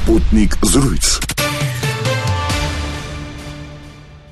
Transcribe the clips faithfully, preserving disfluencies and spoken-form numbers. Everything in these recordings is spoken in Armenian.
Sputnik զրույց։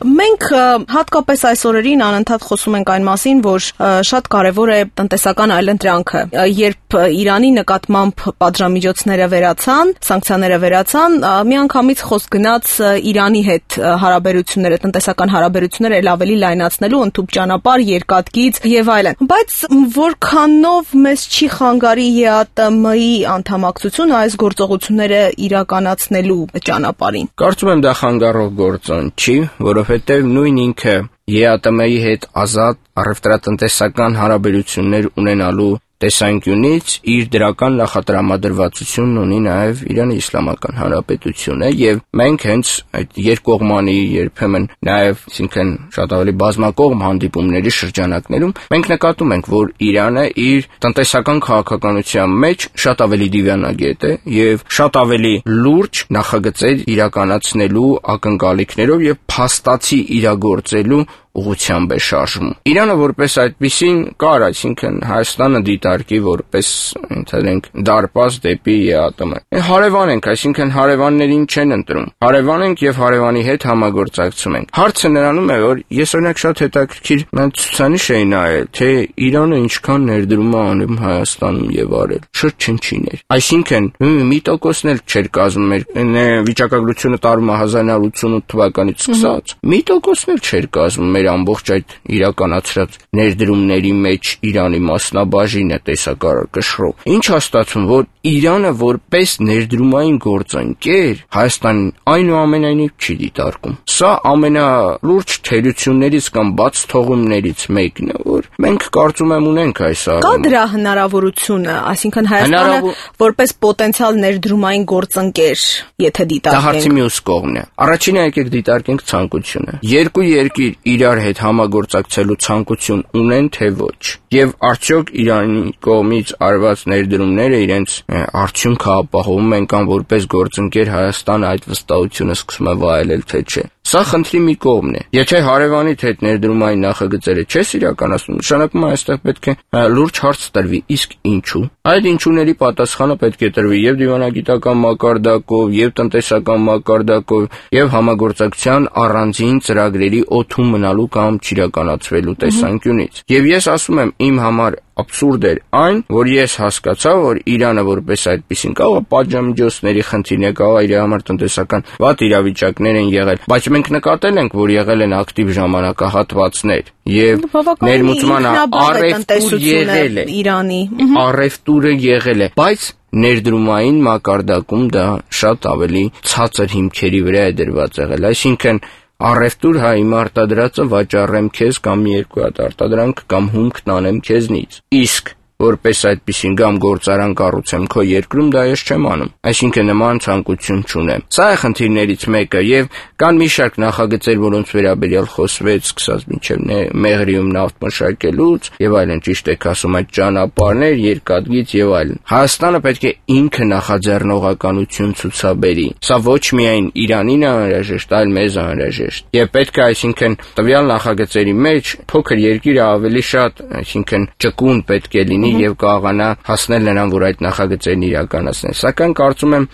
Մենք հատկապես այս օրերին անընդհատ խոսում ենք այն մասին, որ շատ կարևոր է տնտեսական այլընտրանքը։ Երբ Իրանի նկատմամբ պատժամիջոցները վերացան, սանկցիաները վերացան, միանգամից խոսք գնաց Իրանի հետ հարաբերությունները, տնտեսական հարաբերությունները ել ավելի լայնացնելու, ընդհանուր ճանապարհ, երկաթգիծ եւ այլն։ Բայց որքանով մեզ չի խանգարի ԵԱՏՄ-ի անդամակցությունը այս գործողությունները իրականացնելու ճանապարհին։ Կարծում եմ դա խանգարող գործոն չի, որովհետև նույն ինքը ԵԱՏՄ-ի հետ ազատ առևտրատնտեսական հարաբերություններ ունենալու տեսանկյունից իր դրական նախատրամադրվածությունն ունի նաև Իրանի Իսլամական Հանրապետությունը եւ մենք հենց այդ երկկողմանի երբեմն նաև, այսինքն շատ ավելի բազմակողմ հանդիպումների շրջանակներում մենք նկատում ենք, որ Իրանը իր տնտեսական քաղաքականության մեջ շատ ավելի դիվանագետ է եւ շատ ավելի լուրջ նախագծեր իրականացնելու ակնկալիքներով եւ փաստացի իրագործելու ուղղությամբ է շարժվում։ Իրանը որպես այդպիսին կար, այսինքն Հայաստանը դիտարկի որպես ընդհանրենք դարպաս դեպի ԵԱՏՄ։ Հարևան ենք, այսինքն հարևաններին չեն ընտրում։ Հարևան ենք եւ հարևանի հետ համագործակցում ենք։ Հարցը նրանում է, որ ես օրինակ շատ հետաքրքիր ցուցանիշ էի նայել, թե Իրանը ինչքան ներդրում է անում Հայաստանում եւ արել։ Շրջնչիներ։ Այսինքն մի տոկոսն էլ չէր կազմում մեր վիճակագրությունը տարվում է հազար նոց ութսունութ թվականից սկսած։ Մի տոկոսն էլ չէր կազմում ամբողջ այդ իրականացրած ներդրումների մեջ Իրանի մասնաբաժինը տեսակարար կշռով։ Ինչ հաստատվում, որ Իրանը որպես ներդրումային գործընկեր Հայաստանին այնուամենայնիվ չի դիտարկում։ Սա ամենալուրջ թերություններից կամ բաց թողումներից մեկն է, որ մենք կարծում եմ ունենք այս առումով։ Կա դրա հնարավորությունը, այսինքն Հայաստանը որպես պոտենցիալ ներդրումային գործընկեր, եթե դիտարկենք։ Դա հարցի մյուս կողմն է։ Առաջինը եկեք դիտարկենք ցանկությունը։ Երկու երկիր իրար հետ համագործակցելու ցանկություն ունեն թե ոչ, եւ արդյոք Իրանի կողմից արված ներդրումները իրենց արդյունքը ապահովում են կամ որպես գործընկեր Հայաստանը այդ վստահությունը սկսում է վայելել թե չէ։ Սա խնդրի մի կողմն է։ Եթե հարևանիդ հետ ներդրումային նախագծերը չես իրականացնում, նշանակում է այստեղ պետք է լուրջ հարց տրվի, իսկ ինչու։ Այդ ինչուների պատասխանը պետք է տրվի եւ դիվանագիտական մակարդակով, եւ տնտեսական մակարդակով, եւ համագործակցության առանձին ծրագրերի օդում մնալու կամ չիրականացվելու տեսանկյունից։ Եվ ես ասում եմ, իմ համար абսուրդ էր այն, որ ես հասկացա, որ Իրանը որպես այդպեսին կարող է պատժամիջոցների խնդիրներ, կարող է իր համար տնտեսական վատ իրավիճակներ են եղել, բայց մենք նկատել ենք, որ եղել են ակտիվ ժամանակահատվածներ եւ ներմուծման առևտուր եղել է Իրանի, առևտուրը եղել է, բայց ներդրումային մակարդակում դա շատ ավելի ցածր հիմքերի վրա է դրված եղել, այսինքն առևտուր հա իմ արտադրածը վաճառեմ քեզ կամ մի երկու հատ արտադրանք կամ հումք տանեմ քեզնից, իսկ որպես այդպեսին կամ գործարան կառուցեմ քո երկրում, դա ես չեմ անում, այսինքն նման ցանկություն չունեմ։ Սա է խնդիրներից մեկը եւ կան մի շարք նախագծեր, որոնց վերաբերյալ խոսվեց, սկսած մինչեւ Մեղրիում նավթ մշակելուց եւ այլն, ճիշտ եք ասում, այդ ճանապարհներ, երկաթգիծ եւ այլն։ Հայաստանը պետք է ինքը նախաձեռնողականություն ցուցաբերի։ Սա ոչ միայն Իրանին է անհրաժեշտ, այլ մեզ անհրաժեշտ։ Եվ պետք է, այսինքն տվյալ նախագծերի մեջ փոքր երկիրը ավելի շատ, այսինքն ճկուն պետք է լինի եւ կարողանա հասնել նրան, որ այդ նախագծերն իրականացնեն։ Սակայն կարծում եմ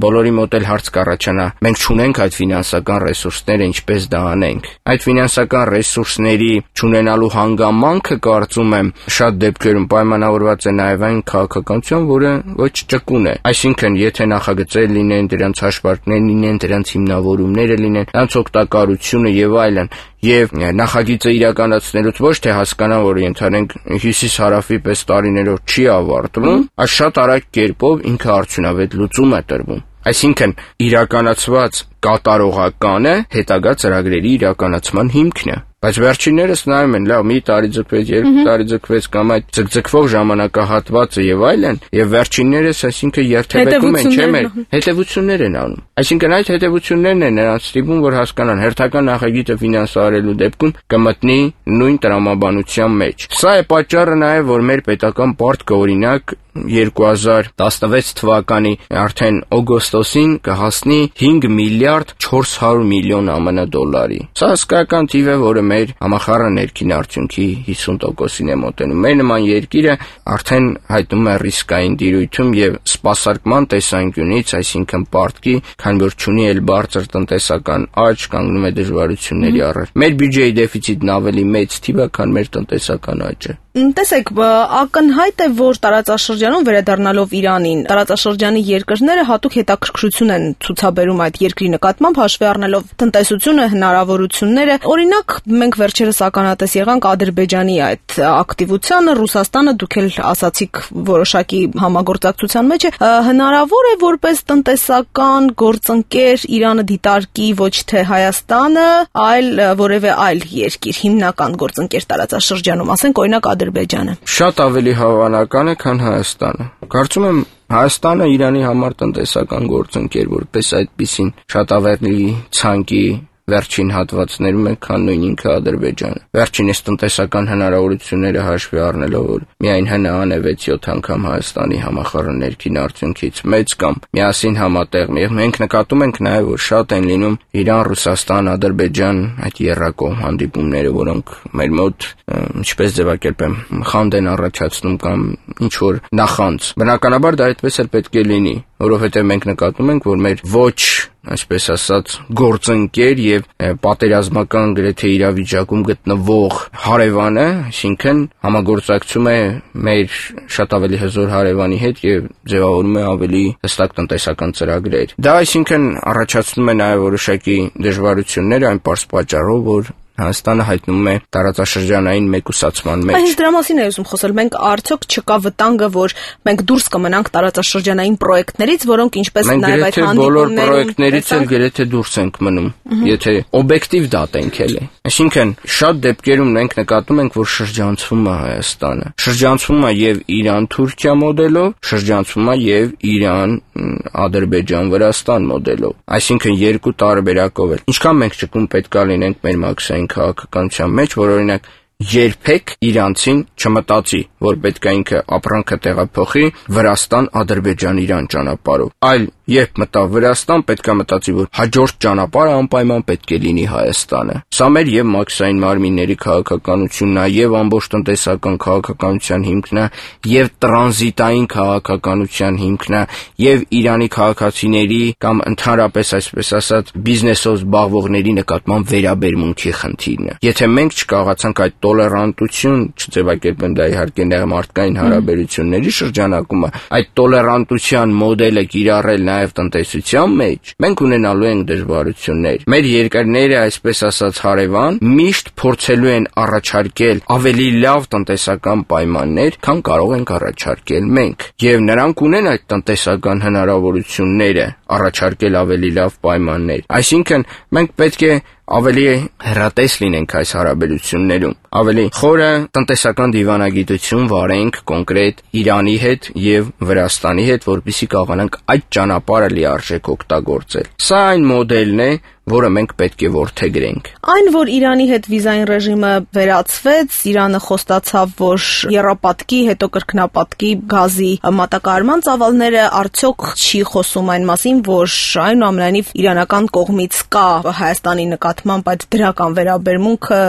բոլորի մոտ էլ հարց կառաջանա. մենք չունենք այդ ֆինանսական ռեսուրսները, ինչպես դա անենք։ Այդ ֆինանսական ռեսուրսների չունենալու հանգամանքը, կարծում եմ, շատ դեպքերում պայմանավորված է նաեւ այն քաղաքականությամբ, որը ոչ ճկուն է։ Այսինքն, եթե նախագծեր լինեն, դրանց հաշվարկներ լինեն, դրանց հիմնավորումները լինեն, դրանց օգտակարությունը եւ այլն, եւ նախագիծը իրականացնելուց ոչ թե հասկանան, որ ընդհանրենք հյուսիս-հարավի պես տարիներով չի ավարտվում, այլ շատ արագ կերպով ինքը արդյունավետ լուծում է տրվում։ Այսինքն իրականացված կատարողականը հետագա ծրագրերի իրականացման հիմքն է։ Բայց վերջիններս նայում են, լավ, մի տարի ձգվեց, երկու տարի ձգվեց կամ այդ ձգձգվող ժամանակահատվածը եւ այլն, եւ վերջիններս, այսինքն երթևեկում են, չէ՞ մեր հետևություններ են անում։ Այսինքն այդ հետևություններն են նրանց ստիպում, որ հասկանան, հերթական նախագիծը ֆինանսավորելու դեպքում կմտնի նույն տրամաբանության մեջ։ Սա է պատճառը նաեւ, որ մեր պետական պարտքը օրինակ երկու հազար տասնվեց թվականի արդեն օգոստոսին կհասնի հինգ միլիարդ չորս հարյուր միլիոն ԱՄՆ դոլարի։ Սա հսկայական թիվ է, որը մեր համախառն ներքին արդյունքի հիսուն տոկոսին է մոտենում։ Մեր նման երկիրը արդեն հայտնվում է ռիսկային տիրույթում եւ սպասարկման տեսանկյունից, այսինքն պարտքի, քանի որ չունի էլ բարձր տնտեսական աճ, կանգնում է դժվարությունների առաջ։ Մեր բյուջեի դեֆիցիտն ավելի մեծ թիվ է, քան մեր տնտեսական աճը։ Տեսեք, ակնհայտ է, որ տարածաշրջանում վերադառնալով Իրանին, տարածաշրջանի երկրները հատուկ հետաքրքրություն են ցուցաբերում այդ երկրի նկատմամբ, հաշվի առնելով տնտեսությունը, հնարավորությունները։ Օրինակ, մենք վերջերս ականատես եղանք Ադրբեջանի այդ ակտիվությանը, Ռուսաստանը, դուք էլ ասացիք, որոշակի համագործակցության մեջ է, հնարավոր է որպես տնտեսական գործընկեր Իրանը դիտարկի ոչ թե Հայաստանը, այլ որևէ այլ երկիր, հիմնական գործընկեր տարածաշրջանում, ասենք օրինակ Ադրբեջանը։ Շատ ավելի հավանական է, քան Հայաստանը։ Կարծում եմ Հայաստանը Իրանի համար տնտեսական գործընկեր որպես այդպիսին շատ ավելի ցանկի վերջին հատվածներում է, քան նույն ինքը Ադրբեջանը։ Վերջինս տնտեսական հնարավորությունները հաշվի առնելով, որ միայն ՀՆԱ-ն է վեց-յոթ անգամ Հայաստանի համախառն ներքին արդյունքից մեծ կամ միասին համատեղ, մենք նկատում ենք նաև, որ շատ են լինում Իրան, Ռուսաստան, Ադրբեջան այդ եռակողմ հանդիպումները, որոնք մեր մոտ, ինչպես ձևակերպեմ, խանդ են առաջացնում կամ ինչ որ նախանց։ Բնականաբար դա այդպես էլ պետք է լինի, որովհետև մենք նկատում ենք, որ մեր ոչ այսպես ասած գործընկեր եւ պատերազմական գրեթե իրավիճակում գտնվող հարևանը, այսինքն համագործակցում է մեր շատ ավելի հզոր հարևանի հետ եւ ձևավորում է ավելի հստակ տնտեսական ծրագրեր։ Դա այսինքն առաջացնում է նաեւ որոշակի դժվարություններ այն պարզ պատճառով, որ Հայաստանը հայտնվում է տարածաշրջանային մեկուսացման մեջ։ Այս դրա մասին է ուզում խոսել։ Մենք արդյոք չկա վտանգը, որ մենք դուրս կմնանք տարածաշրջանային պրոյեկտներից, որոնք ինչպես նաև այդ հանդիպումներում բոլոր պրոյեկտներից էլ գրեթե դուրս ենք մնում, եթե օբյեկտիվ դատենք էլ է։ Այսինքն շատ դեպքերում մենք նկատում ենք, որ շրջանցվում է Հայաստանը։ Շրջանցվում է եւ Իրան-Թուրքիա մոդելով, շրջանցվում է եւ Իրան-Ադրբեջան-Վրաստան մոդելով։ Այսինքն երկու տարբերակով էլ։ Ինչքան մենք ճկուն պետք է լինենք մեր մաքսային քաղաքականության մեջ, որ օրինակ երբեք իրանցին չմտածի, որ պետք է ինքը ապրանքը տեղափոխի Վրաստան, Ադրբեջան, Իրան ճանապարհով, այլ երբ մտավ Վրաստան, պետք է մտածի, որ հաջորդ ճանապարհը անպայման պետք է լինի Հայաստանը։ Սա մեր եւ մաքսային մարմինների քաղաքականությունն է, եւ ամբողջ տնտեսական քաղաքականության հիմքն է, եւ տրանզիտային քաղաքականության հիմքն է, եւ Իրանի քաղաքացիների կամ ընդհանրապես այսպես ասած բիզնեսով զբաղվողների նկատմամբ վերաբերմունքի խնդիրն է։ Եթե մենք չկարողացանք այդ տոլերանտություն չձևակերպեմ, դա իհարկե մարդկային հարաբերությունների շրջանակում է, այդ տոլերանտության մոդելը կիրառել նաև տնտեսության մեջ, մենք ունենալու ենք դժվարություններ։ Մեր երկրները, այսպես ասած հարևան, միշտ փորձելու են առաջարկել ավելի լավ տնտեսական պայմաններ, քան կարող ենք առաջարկել մենք։ Եվ նրանք ունեն այդ տնտեսական հնարավորությունները առաջարկել ավելի լավ պայմաններ։ Այսինքն մենք պետք է ավելի հեռատես լինենք այս հարաբերություններում, ավելի խորը տնտեսական դիվանագիտություն վարենք կոնկրետ Իրանի հետ եւ Վրաստանի հետ, որպեսզի կարողանանք այդ ճանապարհը լիարժեք օգտագործել։ Սա այն մոդելն է, որը մենք պետք է որդեգրենք։ Այն, որ Իրանի հետ վիզային ռեժիմը վերացվեց, Իրանը խոստացավ, որ եռապատկի, հետո կրկնապատկի գազի մատակարարման ծավալները արդյոք չի խոսում այն մասին, որ այնուամենայնիվ իրանական կողմից կա Հայաստանի նկատմամբ այդ դրական վերաբերմունքը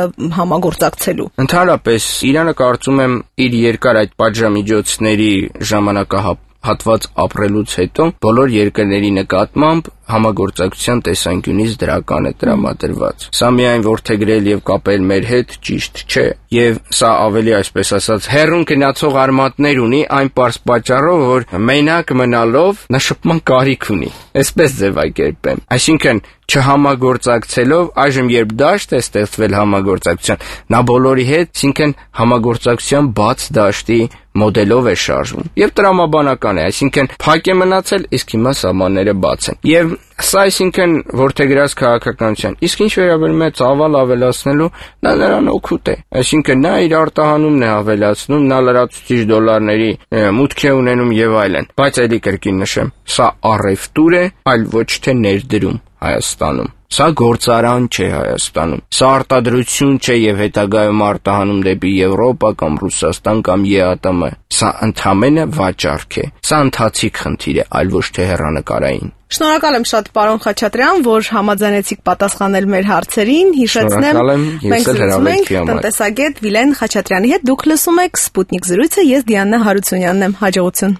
համագործակցելու։ Ընդհանրապես Իրանը կարծում եմ իր երկար այդ պատժամիջոցների ժամանակահատվածը հատված ապրելուց հետո բոլոր երկրների նկատմամբ համագործակցության տեսանկյունից դրական է տրամադրված։ Սա միայն որդեգրել եւ կապել մեր հետ ճիշտ չէ, եւ սա ավելի այսպես ասած հերուն գնացող արմատներ ունի այն պարզ պատճառով, որ մենակ մնալով նա շփման կարիք ունի։ Այսպես ձևակերպեմ։ Այսինքն չհամագործակցելով այժմ երբ դաշտ է ստեղծվել համագործակցության, նա բոլորի հետ, այսինքն համագործակցության բաց դաշտի մոդելով է շարժվում եւ տրամաբանական է, այսինքն փակ է մնացել, իսկ հիմա սահմանները բաց են։ Եվ սա այսինքն որդեգրած քաղաքականության, իսկ ինչ վերաբերում է ծավալ ավելացնելու, նա նրան օգուտ է, այսինքն նա իր արտահանումն է ավելացնում, նա լրացուցիչ դոլարների մուտք է ունենում եւ այլն։ Բայց ելի կրկին նշեմ, սա առևտուր է, այլ ոչ թե ներդրում Հայաստանում։ Սա գործարան չէ Հայաստանում։ Սա արտադրություն չէ եւ հետագայում արտահանում դեպի Եվրոպա կամ Ռուսաստան կամ ԵԱՏՄ։ Սա ընդհանրապես վաճառք է։ Սա ընթացիկ խնդիր է, այլ ոչ թե հեռանկարային։ Շնորհակալ եմ շատ պարոն Խաչատրյան, որ համաձայնեցիք պատասխանել մեր հարցերին։ Հիշեցնեմ, մենք զրուցում ենք տնտեսագետ Վիլեն Խաչատրյանի հետ։ Դուք լսում եք Սպուտնիկ զրույցը, ես Դիանա Հարությունյանն եմ։ Հաջողություն։